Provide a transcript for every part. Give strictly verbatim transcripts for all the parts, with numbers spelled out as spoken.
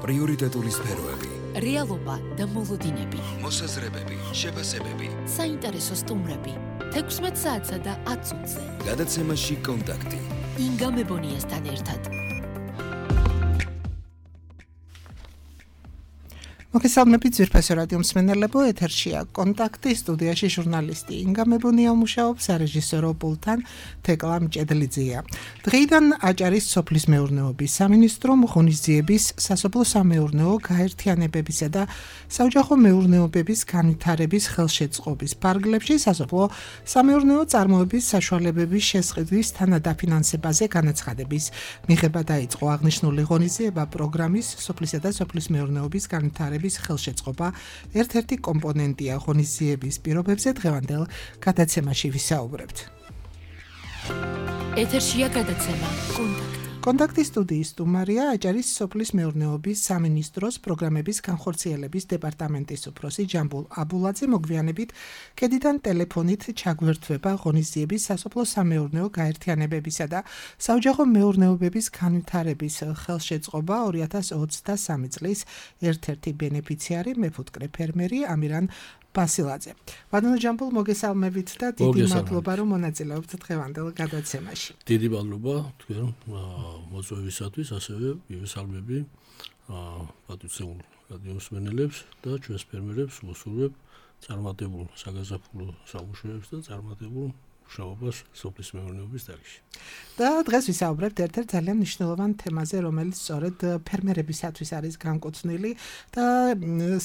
პრიორიტეტული სფეროები, რეალობა და მოლოდინები, მოსაზრებები, შეფასებები, საინტერესო სტუმრები, თექვსმეტ საათსა და ათ წუთზე. გადაცემაში კონტაქტი. ინგა მებონიასთან ერთად. მოგესალმებით ძვირფასო რადიო მსმენელებო, ეთერშია კონტაქტი, სტუდიაში ჟურნალისტი ინგა მებონია მუშაობს, სარეჟისორო პულტთან თეკლა მჭედლიძეა. დღეიდან აჭარის სოფლის მეურნეობის სამინისტრომ ღონისძიების, სასოფლო-სამეურნეო გაერთიანებებისა და საოჯახო მეურნეობების განვითარების ხელშეწყობის ფარგლებში სასოფლო-სამეურნეო წარმოების საშუალებების შესყიდვის თანადაფინანსებაზე განაცხადების მიღება დაიწყო. აღნიშნული ღონისძიება პროგრამის სოფლისა და სოფლის მეურნეობის განვითარების ხელშეწყობა ერთ-ერთი კომპონენტია. ღონისძიების პირობებზე დღევანდელ გადაცემაში ვისაუბრებთ. ეთერშია გადაცემა კონტაქტი. კონტაქტის სტუდიის სტუმარია აჭარის სოფლის მეურნეობის სამინისტროს პროგრამების განხორციელების დეპარტამენტის უფროსი ჯამბულ აბულაძე. მოგვიანებით კედიდან ტელეფონით ჩაგვერთვება ღონისძიების სასოფლო-სამეურნეო გაერთიანებებისა და საოჯახო მეურნეობების განვითარების ხელშეწყობა ორი ათას ოცდასამი წლის ერთ-ერთი ბენეფიციარი მეფუტკრე ფერმერი ამირან ბასილაძე. ბატონო ჯამბულ, მოგესალმებით და დიდი მადლობა რომ მონაწილეობთ დღევანდელ გადაცემაში. დიდი მადლობა თქვენ მოწვევისათვის, ასევე მივესალმები პატრიციულ რადიო მსმენელებს და ჩვენს ფერმერებს, უსურვებ წარმატებულ საგაზაფხულო სამუშაოებს და წარმატებულ მუშაობას სოფლის მეურნეობის დარგში. და დღეს ვისაუბრებთ ერთ-ერთ ძალიან მნიშვნელოვან თემაზე, რომელიც სწორედ ფერმერებისათვის არის განკუთვნილი და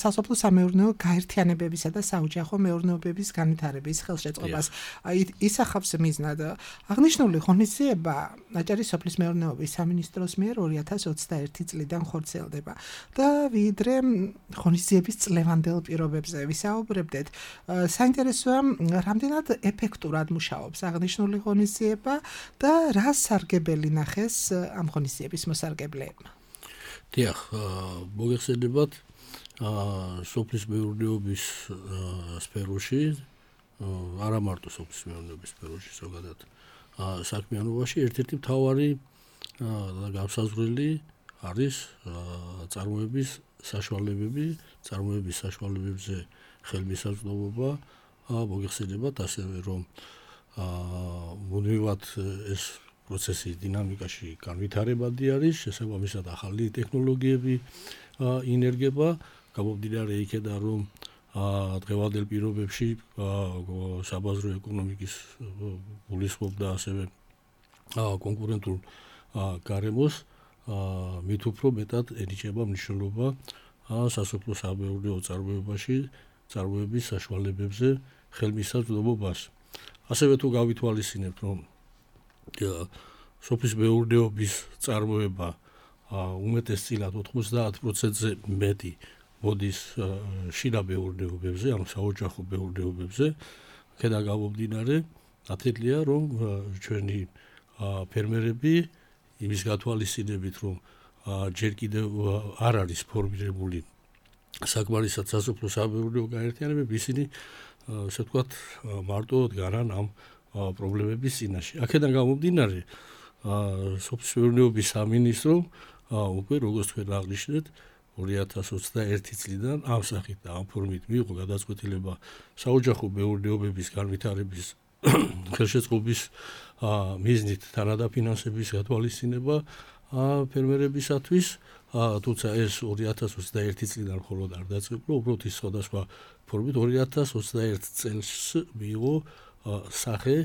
სასოფლო-სამეურნეო გაერთიანებებისა და საოჯახო მეურნეობების განვითარების ხელშეწყობას ისახავს მიზნად. აღნიშნული ღონისძიება აჭარის სოფლის მეურნეობის სამინისტროს მიერ ორი ათას ოცდაერთი წლიდან ხორციელდება და ვიდრე ღონისძიების წლევანდელ პირობებზე ვისაუბრებდეთ, საინტერესოა რამდენად ეფექტურად მუშაობს აღნიშნული ღონისძიება და რა სარგებელი ნახეს ამ ღონისძიების მოსარგებლებმა. დიახ, მოგეხსენებათ, სოფლის მეურნეობის სფეროში, არა მარტო სოფლის მეურნეობის სფეროში, ზოგადად საქმიანობაში ერთ-ერთი მთავარი და განსაზღვრელი არის წარმოების საშუალებები, წარმოების საშუალებებზე ხელმისაწვდომობა. მოგეხსენებათ ასევე, რომ მუდმივად ეს პროცესი დინამიკაში განვითარებადი არის, შესაბამისად ახალი ტექნოლოგიები ინერგება, გამომდინარე იქედან, რომ დღევანდელ პირობებში საბაზრო ეკონომიკის გულისხმობ და ასევე კონკურენტულ გარემოს მით უფრო მეტად ენიჭება მნიშვნელობა სასოფლო-სამეურნეო წარმოებაში წარმოების საშუალებებზე ხელმისაწვდომობას. ასევე თუ გავითვალისწინებთ, რომ სოფლის მეურნეობის წარმოება უმეტესწილად ოთხმოცდაათ პროცენტზე მეტი მოდის შიდა მეურნეობებზე, ანუ საოჯახო მეურნეობებზე, აქედან გამომდინარე, ათელია, რომ ჩვენი ფერმერები იმის გათვალისწინებით, რომ ჯერ კიდევ არ არის ფორმირებული საკმარისად სასოფლო-სამეურნეო გაერთიანებები, ისინი ასე ვთქვათ, მარტო დგარან ამ პრობლემების წინაშე. აქედან გამომდინარე, სოფლის მეურნეობის სამინისტრომ უკვე, როგორც თქვენ აღნიშნეთ, ორი ათას ოცდაერთი წლიდან ამ სახით და ამ ფორმით მიიღო გადაწყვეტილება საოჯახო მეურნეობების განვითარების ხელშეწყობის მიზნით თანადაფინანსების გათვალისწინება ფერმერებისათვის, თუმცა ეს ორი ათას ოცდაერთი წლიდან მხოლოდ არ დაწყებულა, უბრალოდ ის სხვადასხვა ფორმით ორი ათას ოცდაერთ წელს მიიღო სახე,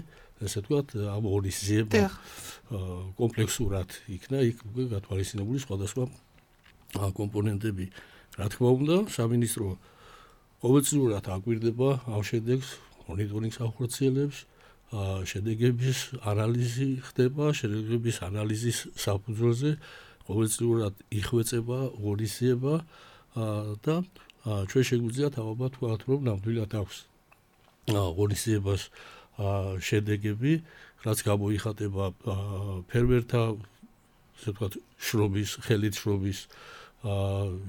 ესე ვთქვათ, ამ ღონისძიება კომპლექსურად იქნა იქ უკვე გათვალისწინებული სხვადასხვა კომპონენტები. რა თქმა უნდა, სამინისტრო ყოველწლიურად აკვირდება ამ შედეგს, მონიტორინგს ახორციელებს, შედეგების ანალიზი ხდება, შედეგების ანალიზის საფუძველზე ყოველწლიურად იხვეწება ღონისძიება და ჩვენ შეგვიძლია თავად ვთქვათ, რომ ნამდვილად აქვს ღონისძიებას შედეგები, რაც გამოიხატება ფერმერთა, ასე ვთქვათ, შრომის, ხელით შრომის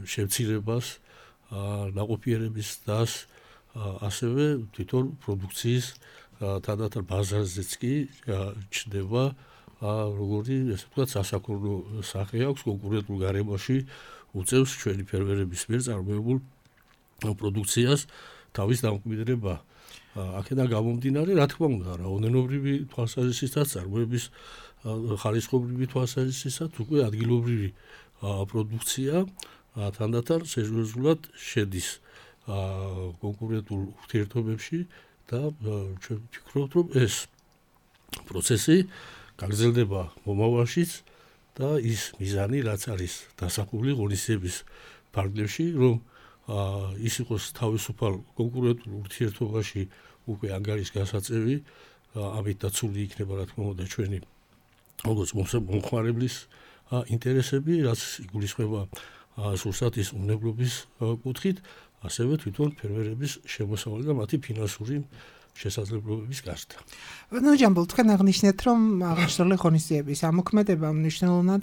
შემცირებას, ნაყოფიერების დას, ასევე თვითონ პროდუქციის თანდათან ბაზარზეც კი ჩნდება, როგორი, ასე ვთქვათ, სასაქონლო სახე აქვს კონკურენტულ გარემოში უწევს ჩვენი ფერმერების მიერ წარმოებულ პროდუქციას თავის დამკვიდრება. აქედან გამომდინარე, რა თქმა უნდა, რაოდენობრივი თვალსაზრისითაც, წარმოების ხარისხობრივი თვალსაზრისითაც უკვე ადგილობრივი პროდუქცია თანდათან სერიოზულად შედის კონკურენტულ ურთიერთობებში და ჩვენ ვფიქრობთ, რომ ეს პროცესი გაგრძელდება მომავალშიც და ის მიზანი, რაც არის დასახული ღონისძიების ფარგლებში, რომ ის იყოს თავისუფალ კონკურენტულ ურთიერთობაში უკვე ანგარის გასაწევი, ამით დაცული იქნება რა თქმა უნდა ჩვენი როგორც მომხმარებლის ინტერესები, რაც იგულისხმება სურსათის უნებლობის კუთხით, ასევე თვითონ ფერმერების შემოსავალი და მათი ფინანსური შესაძლებლობების გაზრდა. ნუ ჯამბულ, თქვენ აღნიშნეთ, რომ აღნიშნული ღონისძიების ამოქმედება მნიშვნელოვნად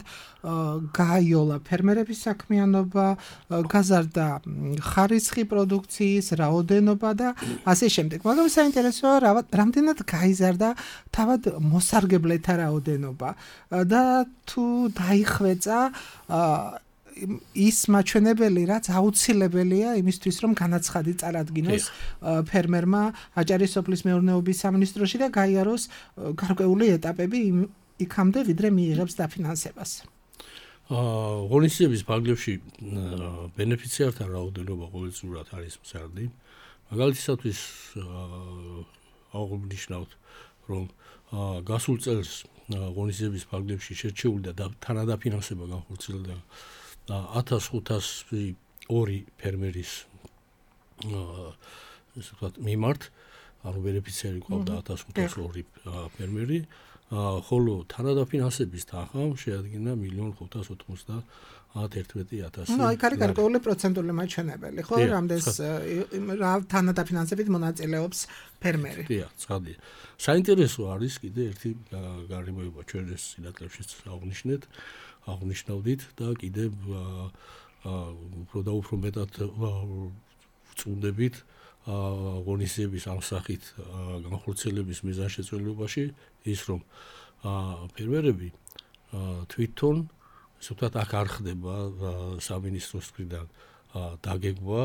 გააიოლა ფერმერების საქმიანობა, გაზარდა ხარისხი პროდუქციის რაოდენობა და ასე შემდეგ. მაგრამ საინტერესოა, რამდენად გაიზარდა თავად მოსარგებლეთა რაოდენობა და თუ დაიხვეწა ის მაჩვენებელი, რაც აუცილებელია იმისთვის, რომ განაცხადი წარადგინოს ფერმერმა აჭარის სოფლის მეურნეობის სამინისტროში და გაიაროს გარკვეული ეტაპები იქამდე, ვიდრე მიიღებს დაფინანსებას. ღონისძიების ფარგლებში ბენეფიციართა რაოდენობა ყოველწლიურად არის მზარდი. მაგალითისათვის აღნიშნავთ, რომ გასულ წელს ღონისძიების ფარგლებში შერჩეული და თანადაფინანსება განხორციელდა ათას ხუთასი ორი ფერმერის ესე ვთქვათ მიმართ, ანუ ბენეფიციარი ყავდა ათას ხუთასი ორი ფერმერი, ხოლო თანადაფინანსების თანხამ შეადგინა მილიონ ხუთას ოთხმოცდაათი ათასი. ნუ აი კარი გარკვეული პროცენტული მაჩვენებელი, ხო, რამდენს რა თანადაფინანსებით მონაწილეობს ფერმერი. დიახ, ცხადია. საინტერესო არის კიდე ერთი გარემოება ჩვენ ეს სინათლებშიც აღნიშნეთ. აღნიშნავდით და კიდევ უფრო და უფრო მეტად ვწუნდებით ღონისძიების ამ სახით განხორციელების მიზანშეწონებაში ის, რომ ფერმერები თვითონ ესე ვთქვათ აქ არ ხდება სამინისტროს მხრიდან დაგეგმვა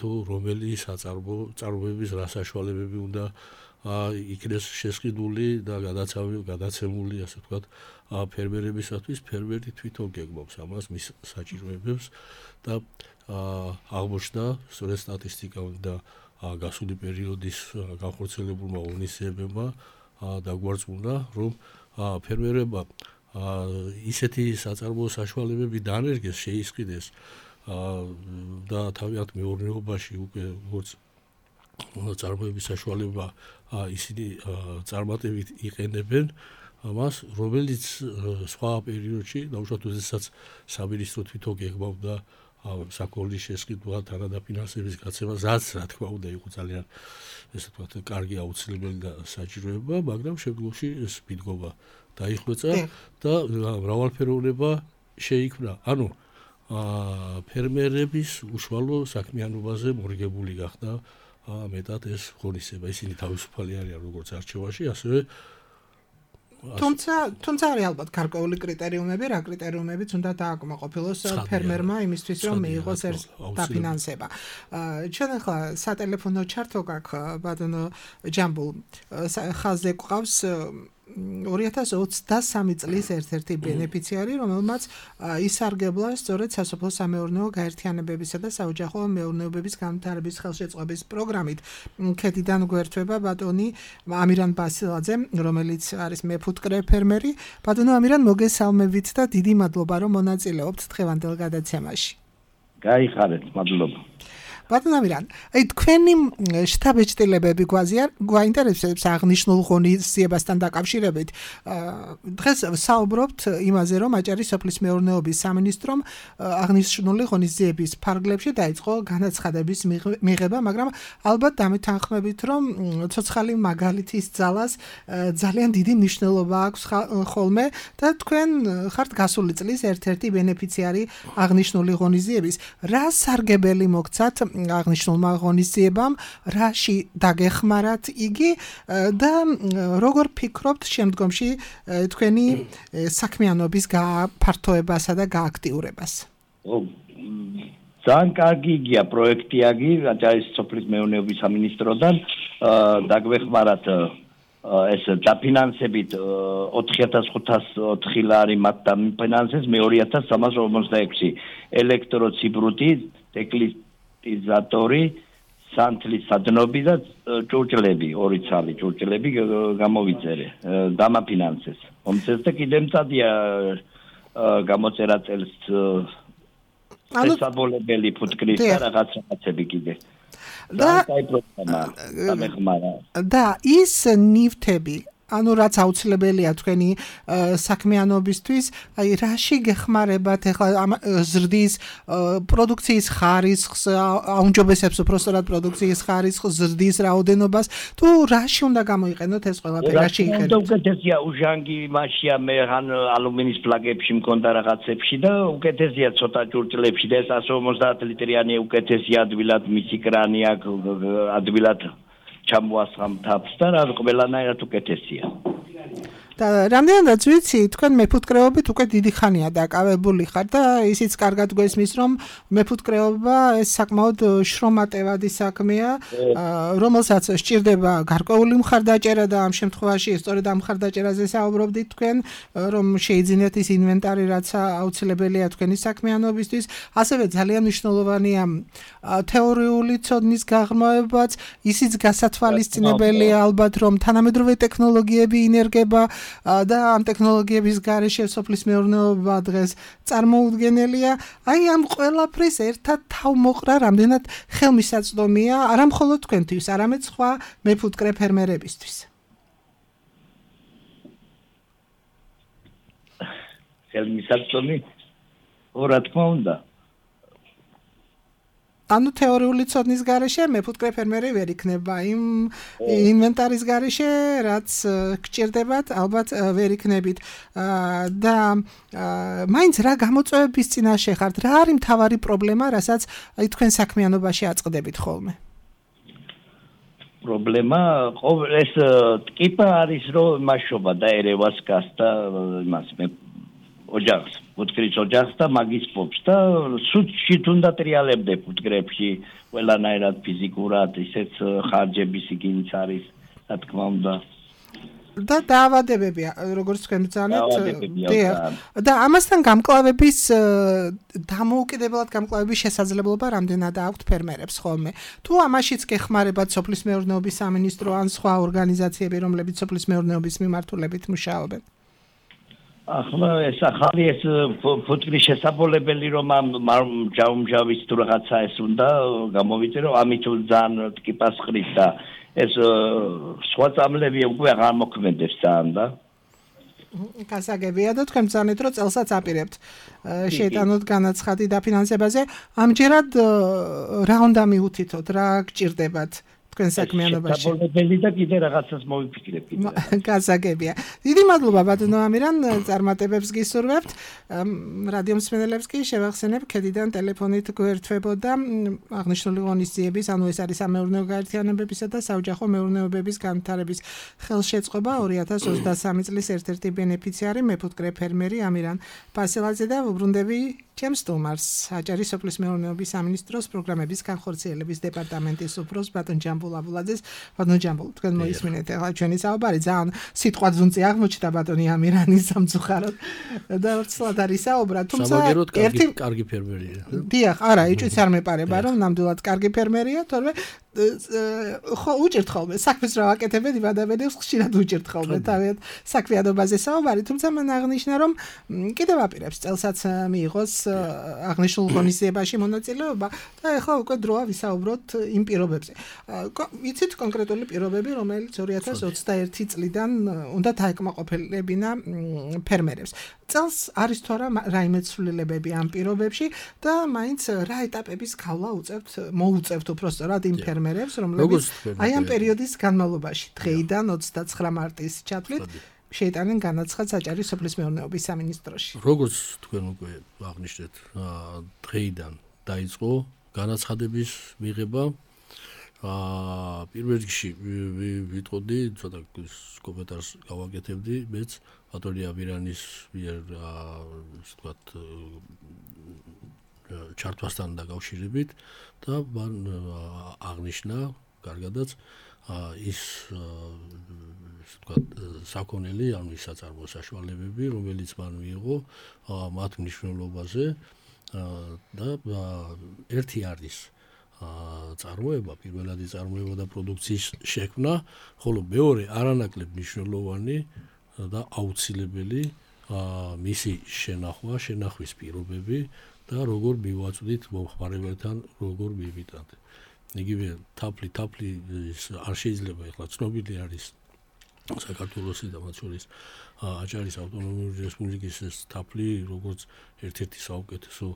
თუ რომელი საწარმო წარმოების რა საშუალებები უნდა იქნეს შესყიდული და გადაცემული ასე ვთქვათ ფერმერებისათვის. ფერმერი თვითონ გეგმავს ამას, მის საჭიროებებს და აღმოჩნდა სწორედ სტატისტიკა და გასული პერიოდის განხორციელებულმა ღონისძიებებმა დაგვარწმუნა, რომ ფერმერებმა ისეთი საწარმო საშუალებები დაანერგეს, შეისყიდეს და თავიანთ მეურნეობაში უკვე როგორც წარმოების საშუალება ისინი წარმატებით იყენებენ ამას, რომელიც სხვა პერიოდში, დაუშვათ როდესაც სამინისტრო თვითონ გეგმავდა საქონლის შესყიდვა, თანადაფინანსების გაცემა, რაც რა თქმა უნდა იყო ძალიან ესე ვთქვათ კარგი აუცილებელი და საჭიროება, მაგრამ შემდგომში ეს მიდგომა დაიხვეწა და მრავალფეროვნება შეიქმნა. ანუ ფერმერების უშუალო საქმიანობაზე მორიგებული გახდა მეტად ეს ღონისძიება. ისინი თავისუფალი არიან როგორც არჩევაში, ასევე თუმცა თუმცა არის ალბათ გარკვეული კრიტერიუმები, რა კრიტერიუმებიც უნდა დააკმაყოფილოს ფერმერმა იმისთვის, რომ მიიღოს ეს დაფინანსება. ჩვენ ახლა სატელეფონო ჩართო გაქვს ბატონო ჯამბულ, ხაზზე გვყავს ორი ათას ოცდასამი წლის ერთ-ერთი ბენეფიციარი, რომელმაც ისარგებლა სწორედ სასოფლო სამეურნეო გაერთიანებებისა და საოჯახო მეურნეობების განვითარების ხელშეწყობის პროგრამით. ქედიდან გვერდება ბატონი ამირან ბასილაძე, რომელიც არის მეფუტკრე ფერმერი. ბატონო ამირან, მოგესალმებით და დიდი მადლობა, რომ მონაწილეობთ დღევანდელ გადაცემაში. გაიხარეთ, მადლობა. ბატონო ამირან, აი თქვენი შტაბ-ეჭდილებები გვაინტერესებს აღნიშნულ ღონისძიებასთან დაკავშირებით. დღეს საუბრობთ იმაზე, რომ აჭარის სოფლის მეურნეობის სამინისტრომ აღნიშნული ღონისძიების ფარგლებში დაიწყო განაცხადების მიღება, მაგრამ ალბათ დამეთანხმებით, რომ ცოცხალი მაგალითის ძალას ძალიან დიდი მნიშვნელობა აქვს ხოლმე და თქვენ ხართ გასული წლის ერთ-ერთი ბენეფიციარი აღნიშნული ღონისძიების. რა სარგებელი მოგცათ აღნიშნულმა ღონისძიებამ, რაში დაგეხმარათ იგი და როგორ ფიქრობთ შემდგომში თქვენი საქმიანობის გაფართოებასა და გააქტიურებას? ძალიან კარგი იგია პროექტი აგი, რაჭალის სოფლის მეურნეობის სამინისტროდან დაგვეხმარათ ეს დაფინანსებით ოთხი ათას ხუთასოთხი ლარი მათ დამიფინანსეს მე ორი ათას სამას ორმოცდაექვსი ელექტროციბრუტი, ტეკლიზატორი, სანთლის სადნობი და ჭურჭლები, ორი ცალი ჭურჭლები გამოვიწერე, დამაფინანსეს. ომცეს და კიდე მწადია გამოწერა წელს შესაბოლებელი ფუტკრის და რაღაც რაღაცები კიდე. და და ის ნივთები ანუ რაც აუცილებელია თქვენი საქმიანობისთვის, აი რაში გეხმარებათ ახლა ზრდის პროდუქციის ხარისხს, აუნჯობესებს უბრალოდ პროდუქციის ხარისხს, ზრდის რაოდენობას, თუ რაში უნდა გამოიყენოთ ეს ყველაფერი, რაში იყენოთ? უკეთესია უჟანგი მასშია მე ან ალუმინის პლაკებში მქონდა რაღაცებში და უკეთესია ცოტა ჭურჭლებში და ეს εκατს ორმოცდაათ ლიტრიანი უკეთესია ადვილად მისი კრანი აქ ადვილად ჩამოასხამ თაფს და რა ყველანაირად უკეთესია. და რამდენადაც ვიცი, თქვენ მეფუტკრეობით უკვე დიდი ხანია დაკავებული ხარ და ისიც კარგად გვესმის, რომ მეფუტკრეობა ეს საკმაოდ შრომატევადი საქმეა, რომელსაც სჭირდება გარკვეული მხარდაჭერა და ამ შემთხვევაში სწორედ ამ მხარდაჭერაზე საუბრობდით თქვენ, რომ შეიძინეთ ის ინვენტარი, რაც აუცილებელია თქვენი საქმიანობისთვის, ასევე ძალიან მნიშვნელოვანია თეორიული ცოდნის გაღრმავებაც, ისიც გასათვალისწინებელია ალბათ, რომ თანამედროვე ტექნოლოგიები ინერგება და ამ ტექნოლოგიების გარეშე სოფლის მეურნეობა დღეს წარმოუდგენელია. აი ამ ყველაფრის ერთად თავმოყრა რამდენად ხელმისაწვდომია არა მხოლოდ თქვენთვის, არამედ სხვა მეფუტკრე ფერმერებისთვის. ხელმისაწვდომი რა თქმა უნდა. ანუ თეორიული ცოდნის გარეშე მეფუტკრე ფერმერი ვერ იქნება იმ ინვენტარის გარეშე, რაც გჭირდებათ, ალბათ ვერ იქნებით. და მაინც რა გამოწვევების წინაშე ხართ, რა არის მთავარი პრობლემა, რასაც თქვენ საქმიანობაში აწყდებით ხოლმე? პრობლემა ეს ტკიპა არის, რომ მაშობა და ერევას გასდა იმას მე ოჯახს, ფუტკრის ოჯახს და მაგის პოპს და სუჩი თუნდა ტრიალებდე ფუტკრებში, ყველანაირად ფიზიკურად, ისეც ხარჯების იგინიც არის, რა თქმა უნდა. და დაავადებები, როგორც თქვენ ბრძანეთ, და ამასთან გამკლავების დამოუკიდებლად გამკლავების შესაძლებლობა რამდენად აქვთ ფერმერებს ხოლმე. თუ ამაშიც გეხმარებათ სოფლის მეურნეობის სამინისტრო ან სხვა ორგანიზაციები, რომლებიც სოფლის მეურნეობის მიმართულებით მუშაობენ? ახლა ეს ახალი ეს ფუტკრის შესაბოლებელი რომ ამ ჯაუმჯავის თუ რაღაცა ეს უნდა გამოვიწერო, ამით ძალიან ტკიპას ხრის და ეს სხვა წამლები უკვე აღარ მოქმედებს ძალიან და გასაგებია და თქვენ ბრძანეთ, რომ წელსაც აპირებთ შეიტანოთ განაცხადი დაფინანსებაზე. ამჯერად რა უნდა მიუთითოთ, რა გჭირდებათ? თქვენ საქმიანობაში. საბოლოო და კიდე რაღაცას მოვიფიქრებ კიდე. გასაგებია. დიდი მადლობა ბატონო ამირან, წარმატებებს გისურვებთ. რადიო მსმენელებს კი შევახსენებ, ქედიდან ტელეფონით გვერდთვებოდა აღნიშნული ღონისძიების, ანუ ეს არის სამეურნეო გაერთიანებებისა და საოჯახო მეურნეობების განვითარების ხელშეწყობა ორი ათას ოცდასამი წლის ერთ-ერთი ბენეფიციარი მეფუტკრე ფერმერი ამირან ფასელაძე და ვუბრუნდები ჩემს სტუმარს, აჭარის სოფლის მეურნეობის სამინისტროს პროგრამების განხორციელების დეპარტამენტის უფროს ბატონ ჯამბულ აბულაძეს. ბატონ ჯამბულ, თქვენ მოისმინეთ ახლა ჩვენი საუბარი, ძალიან სიტყვა ძუნწი აღმოჩნდა ბატონი ამირანის სამწუხაროდ და ვრცლად არის საუბრა, თუმცა ერთი კარგი ფერმერია. დიახ, არა, იწვიც არ მეპარება, რომ ნამდვილად კარგი ფერმერია, თორემ ხო უჭერთ ხოლმე საქმეს რა ვაკეთებენ იმადაბედებს ხშირად უჭერთ ხოლმე თავად საქმიანობაზე საუბარი, თუმცა მან აღნიშნა, რომ კიდევ აპირებს წელსაც მიიღოს აღნიშნულ ღონისძიებაში მონაწილეობა და ახლა უკვე დროა ვისაუბროთ იმ პირობებზე. იცით კონკრეტული პირობები, რომელიც ორი ათას ოცდაერთი წლიდან უნდა დაეკმაყოფილებინა ფერმერებს. წელს არის თუ არა რაიმე ცვლილებები ამ პირობებში და მაინც რა ეტაპების გავლა უწევთ, მოუწევთ უბრალოდ იმ ფერმერებს, რომლებიც აი ამ პერიოდის განმავლობაში დღეიდან ოცდაცხრა მარტის ჩათვლით შეიტანენ განაცხადს აჭარის სოფლის მეურნეობის სამინისტროში. როგორც თქვენ უკვე აღნიშნეთ, დღეიდან დაიწყო განაცხადების მიღება. აა პირველ რიგში ვიტყოდი, ცოტა კომენტარს გავაკეთებდი, მეც ბატონი ამირანის მიერ ასე ვთქვათ ჩართვასთან დაკავშირებით და მან აღნიშნა კარგადაც ის ვთქვათ საქონელი ანუ ის საწარმო საშუალებები რომელიც მან მიიღო მათ მნიშვნელობაზე და ერთი არის წარმოება პირველადი წარმოება და პროდუქციის შექმნა ხოლო მეორე არანაკლებ მნიშვნელოვანი და აუცილებელი მისი შენახვა შენახვის პირობები და როგორ მივაწვდით მომხმარებელთან როგორ მივიტანთ იგივე თაფლი თაფლი არ შეიძლება ეხლა ცნობილი არის საქართველოსი და მათ შორის აჭარის ავტონომიური რესპუბლიკის თაფლი როგორც ერთ-ერთი საუკეთესო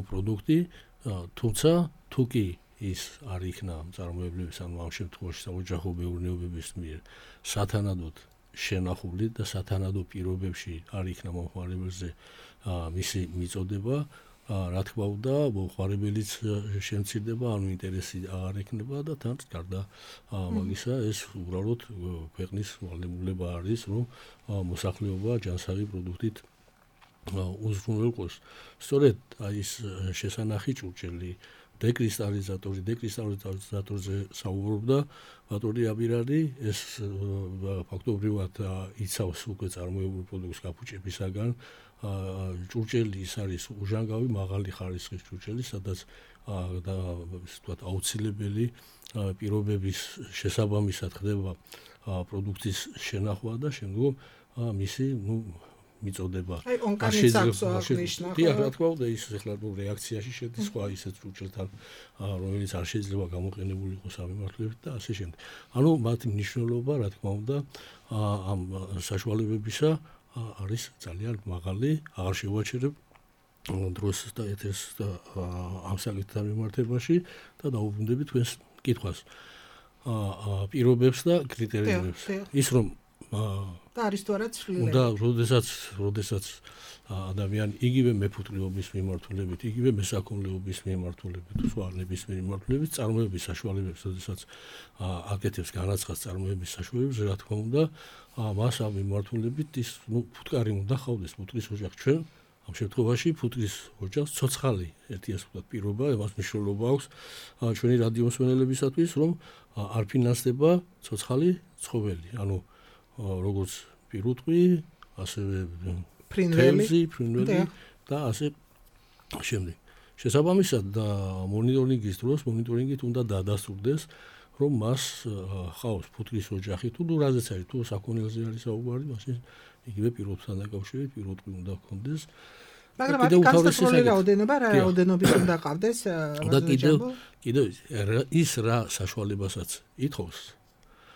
პროდუქტი თუმცა თუ კი ის არ იქნა წარმოებლების ანუ ამ შემთხვევაში საოჯახო მეურნეობების მიერ სათანადოდ შენახული და სათანადო პირობებში არ იქნა მომხმარებელზე მისი მიწოდება რა თქმა უნდა მომხმარებელიც შემცირდება ანუ ინტერესი არ ექნება და თან გარდა მაგისა ეს უბრალოდ ქვეყნის ვალდებულება არის რომ მოსახლეობა ჯანსაღი პროდუქტით უზრუნველყოს სწორედ ის შესანახი ჭურჭელი დეკრისტალიზატორი დეკრისტალიზატორზე საუბრობდა ბატონი აბირადი ეს ფაქტობრივად იცავს უკვე წარმოებული პროდუქტის გაფუჭებისაგან ჭურჭელი ის არის უჟანგავი მაღალი ხარისხის ჭურჭელი სადაც და ვთქვათ აუცილებელი პირობების შესაბამისად ხდება პროდუქტის შენახვა და შემდგომ მისი ნუ მიწოდება აი ონკანიც აქვს აღნიშნა ხო რა თქმა უნდა ის ახლა ნუ რეაქციაში შედის სხვა ისეთ ჭურჭელთან რომელიც არ შეიძლება გამოყენებული იყოს ამ მიმართულებით და ასე შემდეგ ანუ მათი მნიშვნელობა რა თქმა უნდა ამ საშუალებებისა არის ძალიან მაღალი აღარ შევაჩერებ დროს და ეთერს და ამ საკითხთან მიმართებაში და დაუბრუნდები თქვენს კითხვას პირობებს და კრიტერიუმებს ის რომ და არის თუ არა ცვლილება და როდესაც როდესაც ადამიანი იგივე მეფუტკრეობის მიმართულებით იგივე მესაქონლეობის მიმართულებით სხვა ნებისმიერ მიმართულებით წარმოების საშუალებებს როდესაც აკეთებს განაცხადს წარმოების საშუალებებს რა თქმა უნდა მას ამ მიმართულებით ის ნუ ფუტკარი უნდა ხავდეს ფუტკრის ოჯახი ჩვენ ამ შემთხვევაში ფუტკრის ოჯახს ცოცხალი ერთი ასე ვთქვათ პირობა მას მნიშვნელობა აქვს ჩვენი რადიო მსმენელებისათვის რომ არ ფინანსდება ცოცხალი ცხოველი ანუ როგორც პირუტყვი, ასევე თევზი, ფრინველი და ასე შემდეგ. შესაბამისად და მონიტორინგის დროს მონიტორინგით უნდა დაადასტურდეს, რომ მას ხავს ფუტკრის ოჯახი თუ ნუ რაზეც არის, თუ საკონელზე არის საუბარი, მაშინ იგივე პირობთან დაკავშირებით პირუტყვი უნდა ჰქონდეს. მაგრამ აქ განსაკუთრებული რაოდენობა რა რაოდენობის უნდა ყავდეს და კიდევ კიდევ ის რა საშუალებასაც ითხოვს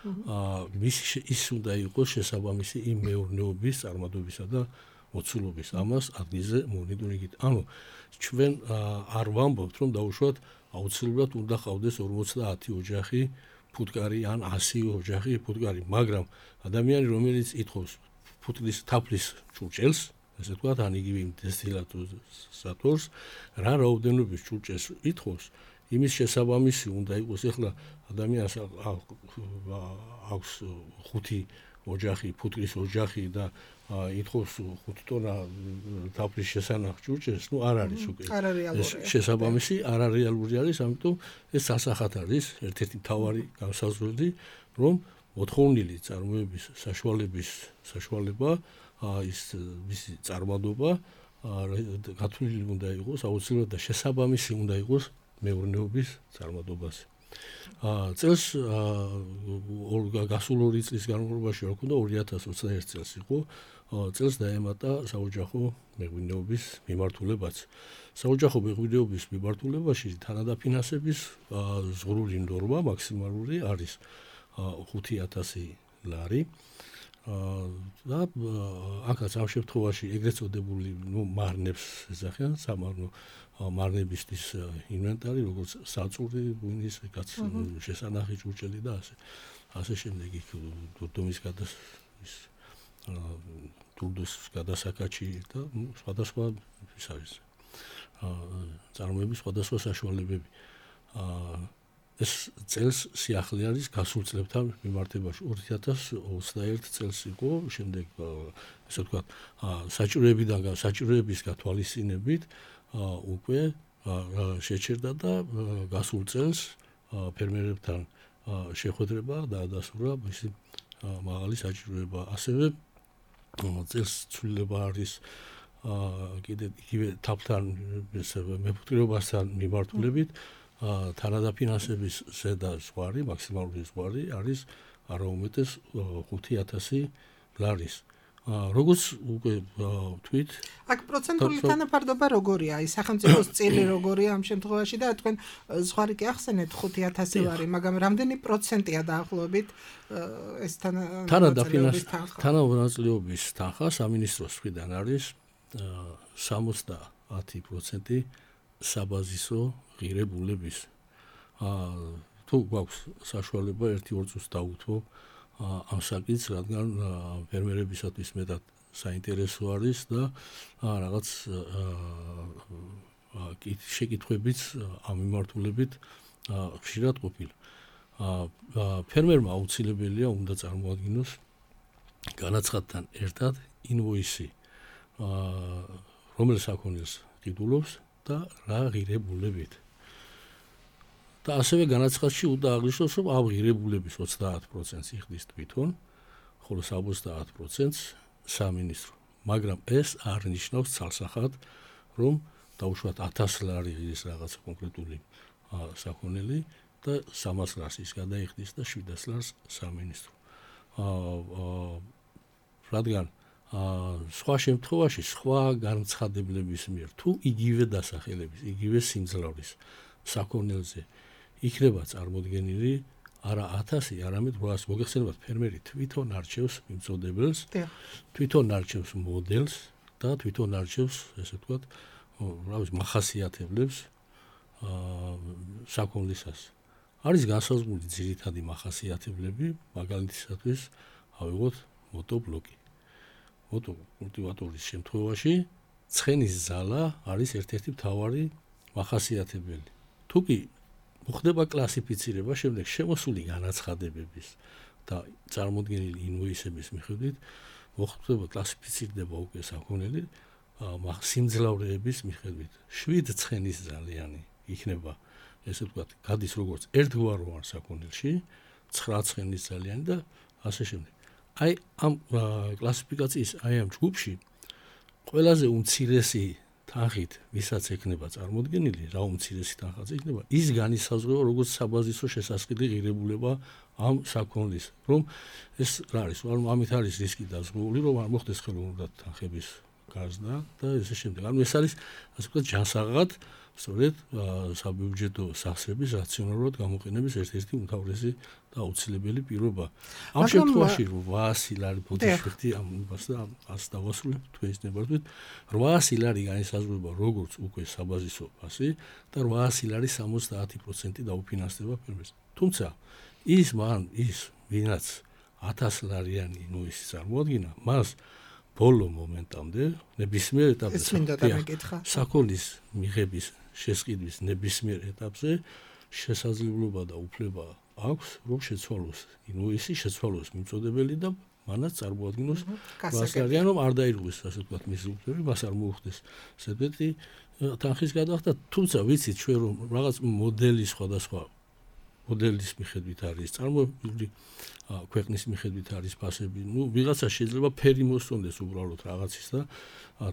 აა მის ის უნდა იყოს შესაბამისი იმ მეურნეობის წარმატებისა და მოცულობის ამას ადგილზე მონიტორინგით. ანუ ჩვენ არ ვამბობთ რომ დაუშვათ აუცილებლად უნდა ყავდეს ორმოცდაათი ოჯახი ფუტკარი ან ასი ოჯახი ფუტკარი, მაგრამ ადამიანი რომელიც ითხოვს ფუტკრის თაფლის ჭურჭელს, ესე ვთქვათ, ან იგივე დესტილატორს, რა რაოდენობის ჭურჭელს ითხოვს, იმის შესაბამისი უნდა იყოს. ეხლა ადამიანს აქვს ხუთი ოჯახი, ფუტკრის ოჯახი და ითხოვს ხუთ ტონა თაფლის შესანახ ჭურჭელს, ნუ არ არის უკვე. ეს შესაბამისი არარეალური არის, ამიტომ ეს სასახად არის ერთ-ერთი მთავარი განსაზღვრელი, რომ მოთხოვნილი წარმოების საშუალების საშუალება ის მისი წარმადობა გათვლილი უნდა იყოს აუცილებლად და შესაბამისი უნდა იყოს მეურნეობის წარმადობაზე. წელს გასულ ორი წლის განმავლობაში რა ქონდა ორი ათას ოცდაერთი წელს იყო წელს დაემატა საოჯახო მეღვინეობის მიმართულებაც. საოჯახო მეღვინეობის მიმართულებაში თანადაფინანსების ზღვრული ნორმა მაქსიმალური არის ხუთი ათასი ლარი. და აქაც ამ შემთხვევაში ეგრეთ წოდებული ნუ მარნებს ეძახიან სამარნო მარნებისთვის ინვენტარი როგორც საწური, ღვინის, კაც შესანახი ჭურჭელი და ასე ასე შემდეგ იქ დურდომის გადას ის დურდოს გადასაკაჩი და სხვადასხვა ის არის წარმოების სხვადასხვა საშუალებები. ეს წელს სიახლე არის გასულ წლებთან მიმართებაში ორი ათას ოცდაერთი წელს იყო შემდეგ ესე ვთქვათ საჭიროებიდან საჭიროების გათვალისწინებით უკვე შეჩერდა და გასულ წელს ფერმერებთან შეხვედრება დაადასტურა მისი მაღალი საჭიროება. ასევე წელს ცვლილება არის კიდე იგივე თაფთან მეფუტკრეობასთან მიმართულებით თანადაფინანსების ზედა ზღვარი, მაქსიმალური ზღვარი არის არაუმეტეს ხუთი ათასი ლარის. როგორც უკვე ვთქვით, აქ პროცენტული თანაფარდობა როგორია? აი სახელმწიფოს წილი როგორია ამ შემთხვევაში და თქვენ ზღვარი კი ახსენეთ ხუთი ათასი ლარი, მაგრამ რამდენი პროცენტია დაახლოებით ეს თანამონაწილეობის თანხა სამინისტროს მხრიდან არის სამოცდაათი პროცენტი საბაზისო ღირებულების. თუ გვაქვს საშუალება ერთი-ორ წუთს დავუთმო ამ საკითხს, რადგან ფერმერებისათვის მეტად საინტერესო არის და რაღაც შეკითხვებიც ამ მიმართულებით ხშირად ყოფილა. ფერმერმა აუცილებელია უნდა წარმოადგინოს განაცხადთან ერთად ინვოისი, რომელ საქონელს ყიდულობს და რა ღირებულებით. და ასევე განაცხადში უნდა აღნიშნოს, რომ ამ ღირებულების ოცდაათ პროცენტს იხდის თვითონ, ხოლო ოცდაათ პროცენტს სამინისტრო. მაგრამ ეს არ ნიშნავს ცალსახად, რომ დაუშვათ ათას ლარი ის რაღაც კონკრეტული საქონელი და სამას ლარს ის გადაიხდის და შვიდას ლარს სამინისტრო. რადგან სხვა შემთხვევაში სხვა განცხადებლების მიერ თუ იგივე დასახელების, იგივე სიმძლავრის საქონელზე იქნება წარმოდგენილი არა ათასი, არამედ რვაას. მოგეხსენებათ, ფერმერი თვითონ არჩევს მიმწოდებელს, თვითონ არჩევს მოდელს და თვითონ არჩევს, ესე ვთქვათ, რა ვიცი, მახასიათებლებს საქონლისას. არის განსაზღვრული ძირითადი მახასიათებლები, მაგალითისათვის ავიღოთ მოტობლოკი. მოტოკულტივატორის შემთხვევაში ცხენის ზალა არის ერთ-ერთი მთავარი მახასიათებელი. თუ კი მოხდება კლასიფიცირება შემდეგ შემოსული განაცხადებების და წარმოდგენილი ინვოისების მიხედვით, მოხდება კლასიფიცირდება უკვე საქონელი სიმძლავრეების მიხედვით. შვიდ ცხენის ზალიანი იქნება, ესე ვთქვათ, გადის როგორც ერთგვაროვან საქონელში, ცხრა ცხენის ზალიანი და ასე შემდეგ. აი ამ კლასიფიკაციის აი ამ ჯგუფში ყველაზე უმცირესი თანხით, ვისაც ექნება წარმოდგენილი, რა უმცირესი თანხაც იქნება, ის განისაზღვრება როგორც საბაზისო შესასყიდი ღირებულება ამ საქონლის, რომ ეს რა არის, რომ ამით არის რისკი დაზღვეული, რომ არ მოხდეს ხელოვნურად თანხების გაზრდა და ესე შემდეგ. ანუ ეს არის, ასე ვთქვათ, ჯანსაღად სწორედ საბიუჯეტო სახსრების რაციონალურად გამოყენების ერთ-ერთი უმთავრესი და აუცილებელი პირობა. ამ შემთხვევაში რვაასი ლარი ბოდიშფრთი ამას და ას დავასრულებ თქვენს ნებართვით. რვაასი ლარი განისაზღვრება როგორც უკვე საბაზისო ფასი და რვაასი ლარი სამოცდაათი პროცენტი დაუფინანსდება ფერმერს. თუმცა ის მან ის ვინაც ათას ლარიანი ინვოისი წარმოადგინა, მას ბოლო მომენტამდე ნებისმიერ ეტაპზე საქონლის მიღების შესყიდვის ნებისმიერ ეტაპზე შესაძლებლობა და უფლება აქვს, რომ შეცვალოს ინვოისი, შეცვალოს მიმწოდებელი და მანაც წარმოადგინოს გასაგებია, რომ არ დაირღვეს, ასე ვთქვათ, მისი უფლები, მას არ მოუხდეს ზედმეტი თანხის გადახდა. თუმცა ვიცით ჩვენ, რომ რაღაც მოდელი სხვადასხვა მოდელის მიხედვით არის წარმოებული, ქვეყნის მიხედვით არის ფასები. ნუ ვიღაცა შეიძლება ფერი მოსწონდეს უბრალოდ რაღაცის და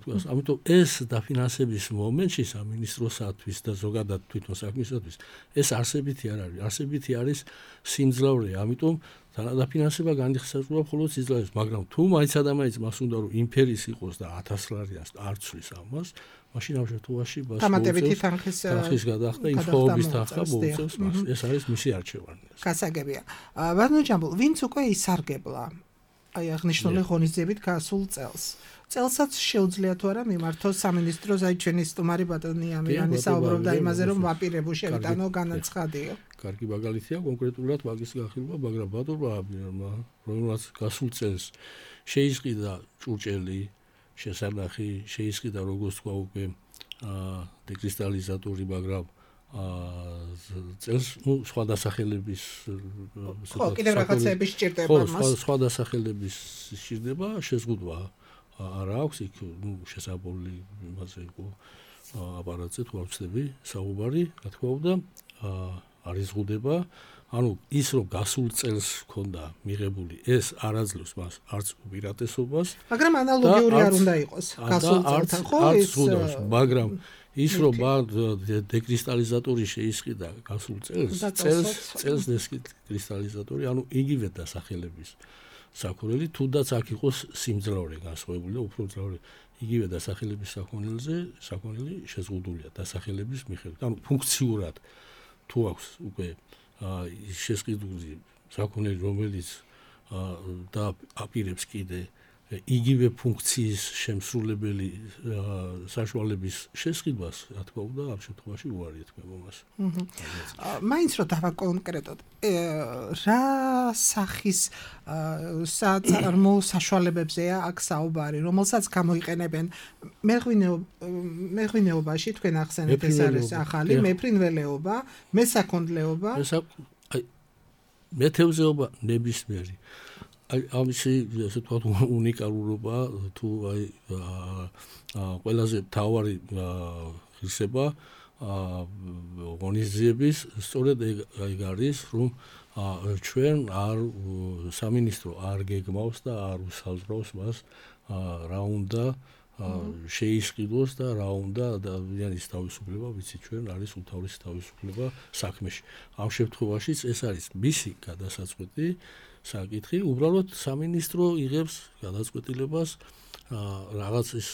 თქვას, ამიტომ ეს დაფინანსების მომენტში სამინისტროსათვის და ზოგადად თვითონ საქმისათვის ეს არსებითი არ არის. არსებითი არის სიმძლავრე, ამიტომ დაფინანსება განიხსენება მხოლოდ სიმძლავრეს, მაგრამ თუ მაინც ადამიანს მას უნდა რომ იმ ფერის იყოს და ათას ლარიანს არ ცვლის ამას, მაშინ ამ შემთხვევაში დამატებითი თანხის თანხის გადახდა ინფორმების თანხა მოუწევს მას. ეს არის მისი არჩევანი. გასაგებია. ბატონო ჯამბულ, ვინც უკვე ისარგებლა აი აღნიშნული ღონისძიებით გასულ წელს. წელსაც შეუძლია თუ არა მიმართოს სამინისტროს, აი ჩვენი სტუმარი ბატონი ამირანი საუბრობდა იმაზე, რომ ვაპირებო შევიტანო განაცხადიო. კარგი მაგალითია კონკრეტულად მაგის გახილვა, მაგრამ ბატონმა ამირანმა, რომელსაც გასულ წელს შეისყიდა ჭურჭელი შესანახი, შეისყიდა როგორც თქვა უკვე დეკრისტალიზატორი, მაგრამ წელს ნუ სხვა დასახელების ხო, კიდევ რაღაცეების სჭირდება მას. ხო, სხვა დასახელების სჭირდება, შეზღუდვა არ აქვს იქ, ნუ შესაბოლი იმაზე იყო აპარატზე თუ არ ვცდები საუბარი, რა თქმა უნდა, არის ზღუდება. ანუ ის რომ გასულ წელს ჰქონდა მიღებული ეს არ აძლევს მას არც უპირატესობას, მაგრამ ანალოგიური არ უნდა იყოს გასულ წელთან, ხო? ის მაგრამ ის რომ დეკრისტალიზატორი შეისყიდა გასულ წელს, წელს წელს დეკრისტალიზატორი, ანუ იგივე დასახელების საქონელი, თუნდაც აქ იყოს სიმძლავრე განსხვავებული და უფრო მძლავრი, იგივე დასახელების საქონელზე, საქონელი შეზღუდულია დასახელების მიხედვით. ანუ ფუნქციურად თუ აქვს უკვე შესყიდული საქონელი, რომელიც და აპირებს კიდე იგივე ფუნქციის შემსრულებელი საშუალების შესყიდვას, რა თქმა უნდა, ამ შემთხვევაში უარი ეთქვება მას. მაინც რომ დავაკონკრეტოთ, რა სახის საწარმო საშუალებებზეა აქ საუბარი, რომელსაც გამოიყენებენ მეღვინეობაში, თქვენ ახსენეთ ეს არის ახალი მეფრინველეობა, მესაქონლეობა, მეთევზეობა ნებისმიერი. აი ამისი ასე თქვა უნიკალურობა თუ აი ყველაზე მთავარი ღირსება ღონისძიების სწორედ ეგ არის, რომ ჩვენ არ სამინისტრო არ გეგმავს და არ უსაზღვრავს მას რა უნდა შეისყიდოს და რა უნდა ადამიანის თავისუფლება, ვიცით ჩვენ არის უმთავრესი თავისუფლება საქმეში. ამ შემთხვევაშიც ეს არის მისი გადასაწყვეტი საკითხი, უბრალოდ სამინისტრო იღებს გადაწყვეტილებას რაღაც ის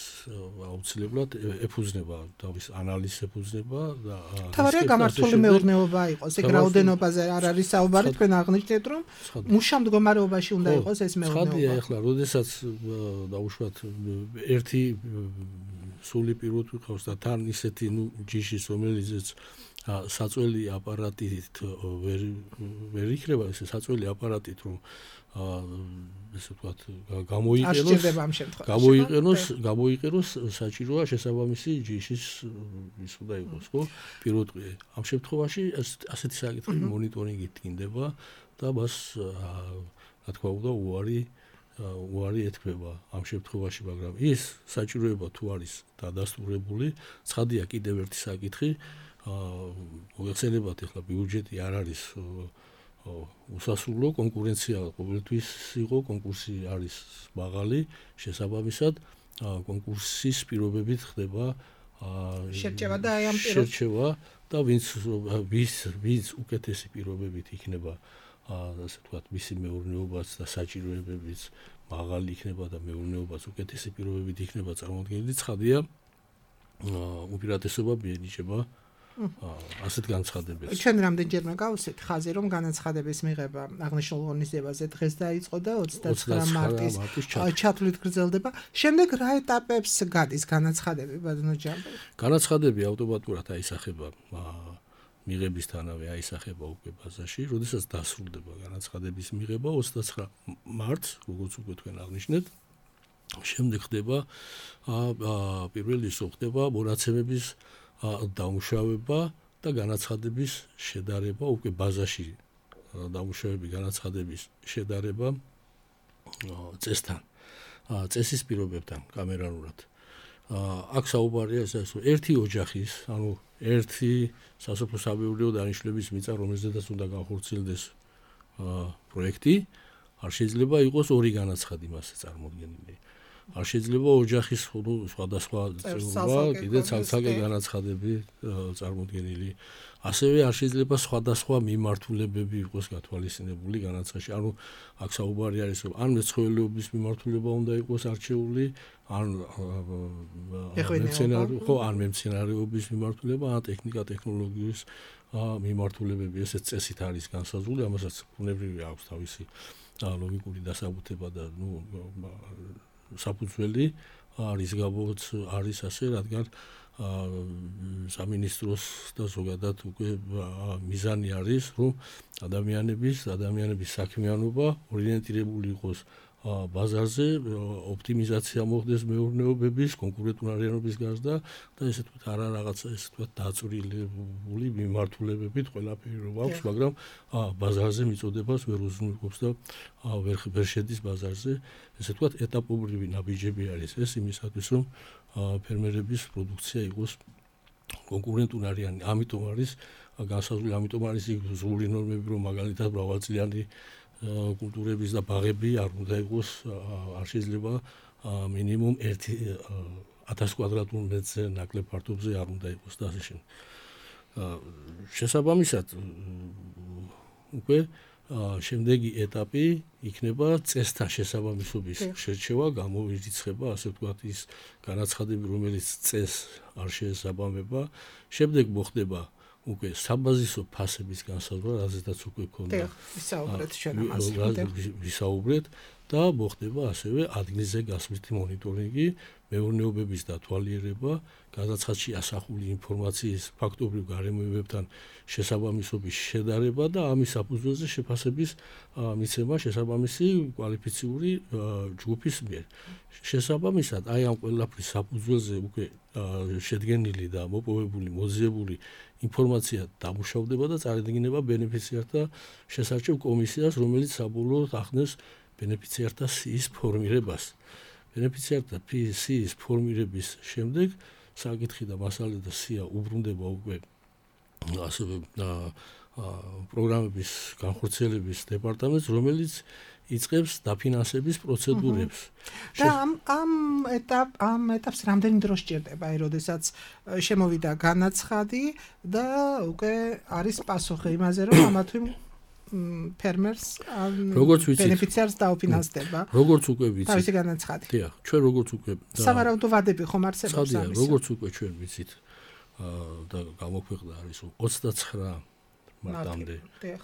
აუცილებლად ეფუძნება თავის ანალიზს ეფუძნება და თავარია გამართული მეურნეობა იყოს, ეგ რაოდენობაზე არ არის საუბარი, თქვენ აღნიშნეთ რომ მუშა მდგომარეობაში უნდა იყოს ეს მეურნეობა. ცხადია, ეხლა როდესაც დაუშვათ ერთი სული პიროთი ყავს და თან ისეთი ნუ ჯიშის რომელიცაც საწველი აპარატით ვერ ვერ იქნება, ეს საწველი აპარატით რომ ესე ვთქვათ გამოიყენოს გამოიყენოს გამოიყენოს საჭიროა შესაბამისი ჯიშის ის უნდა იყოს, ხო? პირუტყვი. ამ შემთხვევაში ასეთი საკითხი მონიტორინგით ტკინდება და მას რა თქმა უნდა უარი უარი ეთქვება ამ შემთხვევაში, მაგრამ ის საჭიროება თუ არის დადასტურებული, ცხადია კიდევ ერთი საკითხი, მოგეხსენებათ ახლა ბიუჯეტი არ არის უსასრულო, კონკურენცია ყოველთვის იყო, კონკურსი არის მაღალი, შესაბამისად კონკურსის პირობებით ხდება შერჩევა და აი ამ შერჩევა და ვინც ვის ვის უკეთესი პირობებით იქნება ასე ვთქვათ მისი მეურნეობაც და საჭიროებებიც მაღალი იქნება და მეურნეობაც უკეთესი პირობებით იქნება წარმოდგენილი, ცხადია უპირატესობა მიენიჭება ასეთ განცხადებებს. ჩვენ რამდენჯერმე გავუსეთ ხაზი, რომ განაცხადების მიღება აღნიშნულ ღონისძიებაზე დღეს დაიწყო და ოცდათვრამე მარტის ჩათვლით გრძელდება. შემდეგ რა ეტაპებს გადის განაცხადები, ბატონო ჯამბი? განაცხადები ავტომატურად აისახება მიღებისთანავე აისახება უკვე ბაზაში, როდესაც დასრულდება განაცხადების მიღება ოცდათვრამე მარტს, როგორც უკვე თქვენ აღნიშნეთ. შემდეგ ხდება პირველი ისო ხდება მონაცემების დამუშავება და განაცხადების შედარება, უკვე ბაზაში დამუშავების განაცხადების შედარება წესთან, წესის პირობებთან კამერალურად. აქ საუბარია ეს ერთი ოჯახის, ანუ ერთი სასოფლო-სამეურნეო დანიშნულების მიწა, რომელზედაც უნდა განხორციელდეს პროექტი, არ შეიძლება იყოს ორი განაცხადი მასზე წარმოდგენილი. არ შეიძლება ოჯახის სხვადასხვა წევრობა, კიდე ცალ-ცალკე განაცხადები წარმოდგენილი. ასევე არ შეიძლება სხვადასხვა მიმართულებები იყოს გათვალისწინებული განაცხადში. ანუ აქ საუბარი არის, რომ ან მეცხოველეობის მიმართულება უნდა იყოს არჩეული, ან მეცენარეო, ხო, ან მემცენარეობის მიმართულება, ან ტექნიკა ტექნოლოგიის მიმართულებები, ესეც წესით არის განსაზღვრული, ამასაც ბუნებრივი აქვს თავისი ლოგიკური დასაბუთება და ნუ საფუძველი არის გაბოც არის ასე, რადგან სამინისტროს და ზოგადად უკვე მიზანი არის, რომ ადამიანების ადამიანების საქმიანობა ორიენტირებული იყოს ბაზარზე, ოპტიმიზაცია მოხდეს მეურნეობების, კონკურენტუნარიანობის გაზრდა და ესე თქვა არა რაღაცა ესე თქვა დაწვრილებული მიმართულებებით ყველაფერი რომ აქვს, მაგრამ ბაზარზე მიწოდებას ვერ უზრუნველყოფს და ვერ ვერ შედის ბაზარზე. ესე თქვა ეტაპობრივი ნაბიჯები არის ეს იმისათვის, რომ ფერმერების პროდუქცია იყოს კონკურენტული არიან, ამიტომ არის განსაზღვრული, ამიტომ არის ზღური ნორმები, რომ მაგალითად მრავალწლიანი კულტურების და ბაღები არ უნდა იყოს, არ შეიძლება მინიმუმ ერთი ათას კვადრატულ მეტრზე ნაკლებ ფართობზე არ უნდა იყოს და ასე შემდეგ. შესაბამისად უკვე შემდეგი ეტაპი იქნება წესთან შესაბამისობის შერჩევა, გამოვირიცხება, ასე ვთქვათ, ის განაცხადები, რომელიც წესს არ შეესაბამება. შემდეგ მოხდება უკვე საბაზისო ფასების განსაზღვრა, რაზეც უკვე ქონდა ვისაუბრეთ ჩვენ ამაზე. ვისაუბრეთ და მოხდება ასევე ადგილზე გასვლითი მონიტორინგი, მეურნეობების დათვალიერება, გადაცხადში ასახული ინფორმაციის ფაქტობრივ გარემოებებთან შესაბამისობის შედარება და ამის საფუძველზე შეფასების მიცემა შესაბამისი კვალიფიციური ჯგუფის მიერ. შესაბამისად, აი ამ ყველაფრის საფუძველზე უკვე შედგენილი და მოპოვებული, მოძიებული ინფორმაცია დამუშავდება და წარადგინება ბენეფიციართა შესარჩევ კომისიას, რომელიც საბოლოოდ ახდენს ბენეფიციართა სიის ფორმირებას. ბენეფიციართა სიის ფორმირების შემდეგ საკითხი და მასალა და სია უბრუნდება უკვე ასევე პროგრამების განხორციელების დეპარტამენტს, რომელიც იწყებს დაფინანსების პროცედურებს. და ამ ამ ეტაპ ამ ეტაპს რამდენი დრო სჭირდება, აი, როდესაც შემოვიდა განაცხადი და უკვე არის პასუხი იმაზე, რომ ამა თუ ფერმერს ბენეფიციარს დაუფინანსდება. როგორც უკვე ვიცით. თავისი განაცხადი. დიახ, ჩვენ როგორც უკვე სავარაუდო ვადები ხომ არსებობს ამის. როგორც უკვე ჩვენ ვიცით და გამოქვეყნდა არის ოცდაცხრა მარტამდე,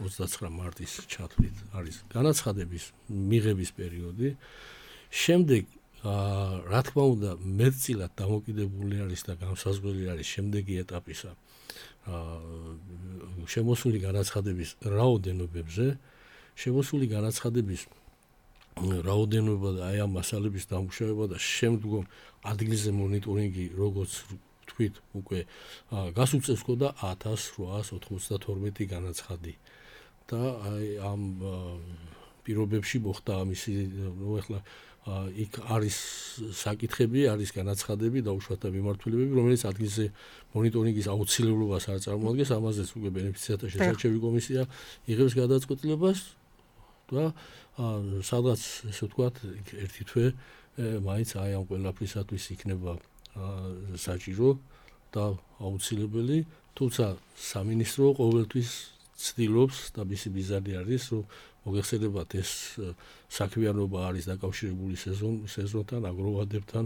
ოცდაცხრა მარტის ჩათვლით არის განაცხადების მიღების პერიოდი. შემდეგ რა თქმა უნდა მეტწილად დამოკიდებული არის და განსაზღვრელი არის შემდეგი ეტაპისა შემოსული განაცხადების რაოდენობებზე, შემოსული განაცხადების რაოდენობა და აი ამ მასალების დამუშავება და შემდგომ ადგილზე მონიტორინგი, როგორც თქვით, უკვე გასულ წელს ჰქონდა ათას რვაას ოთხმოცდათორმეტი განაცხადი და აი ამ პირობებში მოხდა ამისი, ნუ ახლა იქ არის საკითხები, არის განაცხადები, დაუშვათა მიმართულებები, რომელიც ადგილზე მონიტორინგის აუცილებლობას არ წარმოადგენს, ამაზეც უკვე ბენეფიციართა შესარჩევი კომისია იღებს გადაწყვეტილებას და სადღაც, ესე ვთქვათ, ერთი თვე მაინც აი ამ ყველაფრისათვის იქნება საჭირო და აუცილებელი, თუმცა სამინისტრო ყოველთვის ცდილობს და მისი მიზანი არის, რომ მოგეხსენებათ ეს საქმიანობა არის დაკავშირებული სეზონთან, აგროვადებთან,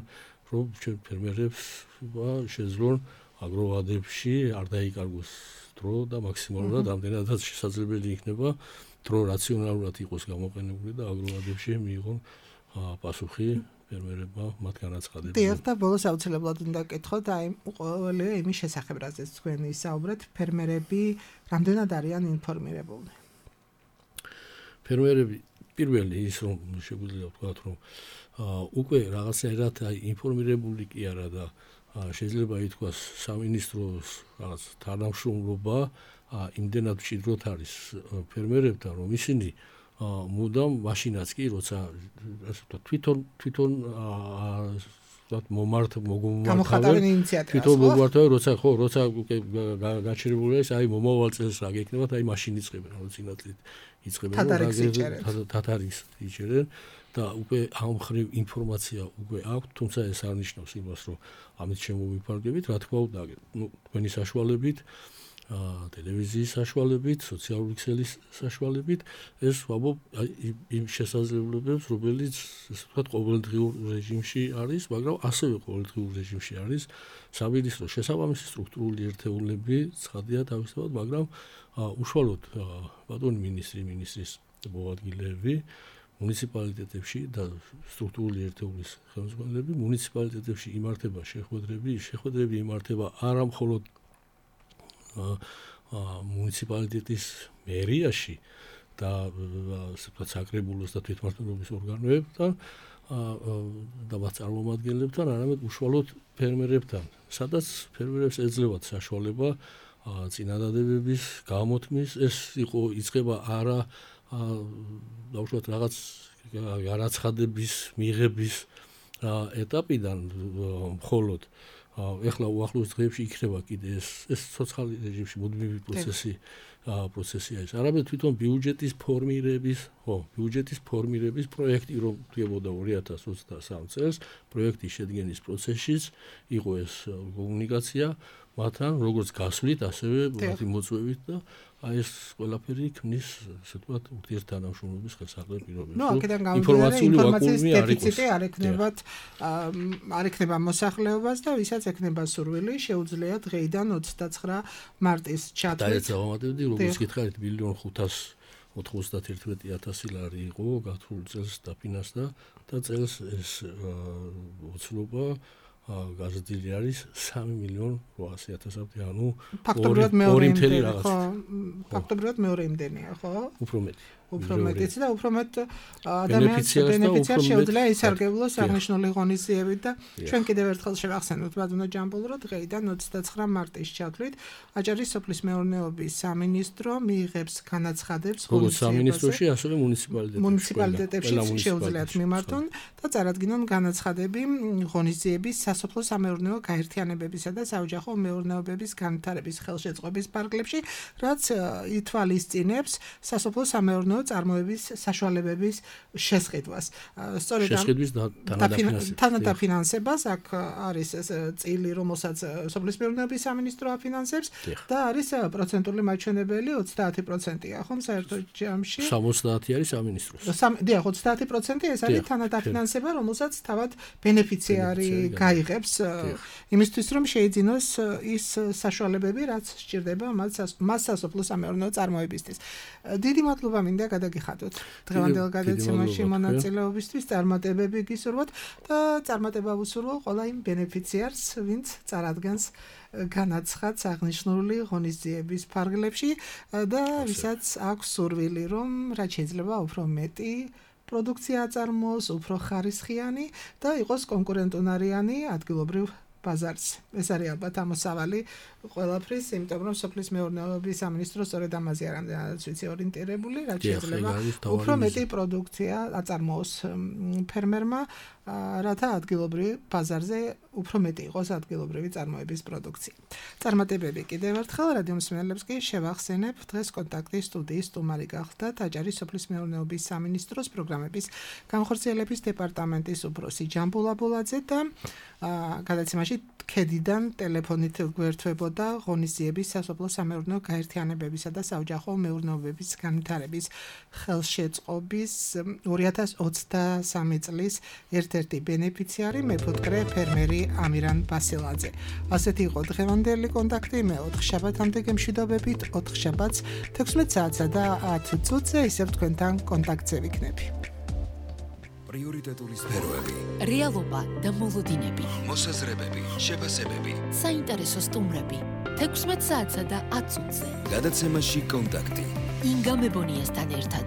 რომ ჩვენ ფერმერებს შეძლონ აგროვადებში არ დაიკარგოს დრო და მაქსიმალურად ამდენადაც შესაძლებელი იქნება დრო რაციონალურად იყოს გამოყენებული და აგროვადებში მიიღონ პასუხი ფერმერებმა მათ განაცხადებებზე. დიახ, და ბოლოს აუცილებლად უნდა გკითხოთ აი ყოველი იმის შესახებ, რაზეც თქვენ ისაუბრეთ, ფერმერები რამდენად არიან ინფორმირებულნი? ფერმერები პირველი ის რომ შეგვიძლია ვთქვათ, რომ უკვე რაღაცნაირად აი ინფორმირებული კი არა და შეიძლება ითქვას სამინისტროს რაღაც თანამშრომლობა იმდენად მჭიდროდ არის ფერმერებთან, რომ ისინი მუდამ მაშინაც კი როცა ასე ვთქვათ თვითონ თვითონ ვთქვათ მომართ გამოხატავენ ინიციატივას თვითონ მოგვართავენ როცა ხო როცა გაჩერებული არის აი მომავალ წელს რა გექნებათ აი მაშინ იწყებენ რომ წინათლით იწყებენ თათარიგს იჭერენ და უკვე ამ ხრივ ინფორმაცია უკვე აქვს, თუმცა ეს არ ნიშნავს იმას, რომ ამით შემოვიფარგლებით, რა თქმა უნდა, ნუ თქვენი საშუალებით, ტელევიზიის საშუალებით, სოციალური ქსელის საშუალებით, ეს ვამბობ იმ შესაძლებლობებს, რომელიც ასე ვთქვათ, ყოველდღიურ რეჟიმში არის, მაგრამ ასევე ყოველდღიურ რეჟიმში არის სამინისტროს შესაბამისი სტრუქტურული ერთეულები, ცხადია თავისთავად, მაგრამ უშუალოდ ბატონი მინისტრი, მინისტრის მოადგილეები მუნიციპალიტეტებში და სტრუქტურული ერთეულის ხელმძღვანელები მუნიციპალიტეტებში იმართება შეხვედრები, შეხვედრები იმართება არა მხოლოდ მუნიციპალიტეტის მერიაში და ასე ვთქვათ საკრებულოს და თვითმმართველობის ორგანოებთან და მათ წარმომადგენლებთან, არამედ უშუალოდ ფერმერებთან, სადაც ფერმერებს ეძლევათ საშუალება წინადადებების გამოთქმის, ეს იყო იწყება არა დაუშვათ რაღაც განაცხადების მიღების ეტაპიდან მხოლოდ ეხლა უახლოეს დღეებში იქნება კიდე ეს ეს სოციალური რეჟიმში მუდმივი პროცესი პროცესია ეს. არამედ თვითონ ბიუჯეტის ფორმირების, ხო, ბიუჯეტის ფორმირების პროექტი რომ დგებოდა ორი ათას ოცდასამ წელს, პროექტის შედგენის პროცესშიც იყო ეს კომუნიკაცია მათთან, როგორც გასვლით, ასევე მათი მოწვევით და აი ეს ყველაფერი ქმნის, ასე ვთქვათ, ურთიერთთანამშრომლობის ხელსაყრელ პირობებს. ნუ აქედან გამომდინარე ინფორმაციის დეფიციტი არ ექნებათ არ ექნება მოსახლეობას და ვისაც ექნება სურვილი, შეუძლია დღეიდან ოცდაცხრა მარტის ჩათვლით. და ეს ავამატებდი, როგორც გითხარით, მილიონ ხუთას ოთხმოცდაათი ათასი ლარი იყო გათვლილ წელს დაფინანსდა და წელს ეს ოცნება გაზრდილი არის სამი მილიონი ოთხასი ათასამდე, ანუ ფაქტობრივად მეორე იმდენი ხო? ფაქტობრივად მეორე იმდენია, ხო? უფრო მეტი. უფრო მეტიც და უფრო მეტ ადამიანს ბენეფიციარს შეუძლია ისარგებლოს აღნიშნული ღონისძიებით და ჩვენ კიდევ ერთხელ შევახსენოთ ბატონო ჯამბულ, რომ დღეიდან ოცდაცხრა მარტის ჩათვლით აჭარის სოფლის მეურნეობის სამინისტრო მიიღებს განაცხადებს ღონისძიებაზე. სამინისტროში ასევე მუნიციპალიტეტებში. მუნიციპალიტეტებში შეუძლიათ მიმართონ და წარადგინონ განაცხადები ღონისძიების სასოფლო სამეურნეო გაერთიანებებისა და საოჯახო მეურნეობების განვითარების ხელშეწყობის ფარგლებში, რაც ითვალისწინებს სასოფლო სამეურნეო წარმოების საშუალებების შესყიდვას. სწორედ შესყიდვის თანადაფინანსებას აქ არის ეს წილი, რომელსაც სოფლის მეურნეობის სამინისტრო აფინანსებს და არის პროცენტული მაჩვენებელი ოცდაათი პროცენტია, ხომ საერთო ჯამში? სამოცდაათი არის სამინისტროს. დიახ, ოცდაათი პროცენტი ეს არის თანადაფინანსება, რომელსაც თავად ბენეფიციარი გაიღებს იმისთვის, რომ შეიძინოს ის საშუალებები, რაც სჭირდება მას სასოფლო სამეურნეო წარმოებისთვის. დიდი მადლობა მინდა გადაგიხადოთ დღევანდელ გადაცემაში მონაწილეობისთვის, წარმატებები გისურვოთ და წარმატება ვუსურვო ყველა იმ ბენეფიციარს, ვინც წარადგენს განაცხადს აღნიშნული ღონისძიების ფარგლებში და ვისაც აქვს სურვილი, რომ რაც შეიძლება უფრო მეტი პროდუქცია აწარმოოს, უფრო ხარისხიანი და იყოს კონკურენტუნარიანი ადგილობრივ ბაზარს. ეს არის ალბათ ამოსავალი ყველაფრის, იმიტომ რომ სოფლის მეურნეობის სამინისტრო სწორედ ამაზე არ ამდენადაც ვიცი ორიენტირებული, რაც შეიძლება უფრო მეტი პროდუქცია აწარმოოს ფერმერმა, რათა ადგილობრივ ბაზარზე უფრო მეტი იყოს ადგილობრივი წარმოების პროდუქცია. წარმატებები კიდევ ერთხელ რადიო მსმენელებს კი შევახსენებ, დღეს კონტაქტის სტუდიის სტუმარი გახლდათ აჭარის სოფლის მეურნეობის სამინისტროს პროგრამების განხორციელების დეპარტამენტის უფროსი ჯამბულ აბულაძე და გადაცემაში ქედიდან ტელეფონით გვერდთვებოდა ღონისძიების სასოფლო სამეურნეო გაერთიანებებისა და საოჯახო მეურნეობების განვითარების ხელშეწყობის ორი ათას ოცდასამი წლის ერთ-ერთი ბენეფიციარი მეფუტკრე ფერმერი ამირან ბასილაძე. ასეთი იყო დღევანდელი კონტაქტი, მე ოთხ შაბათამდე გემშვიდობებით, ოთხ შაბათს თექვსმეტ საათსა და ათი წუთზე ისევ თქვენთან კონტაქტზე ვიქნები. პრიორიტეტული სფეროები, რეალობა და მოლოდინები, მოსაზრებები, შეფასებები, საინტერესო სტუმრები, თექვსმეტ საათსა და ათ წუთზე. გადაცემაში კონტაქტი. ინგა მებონიასთან ერთად.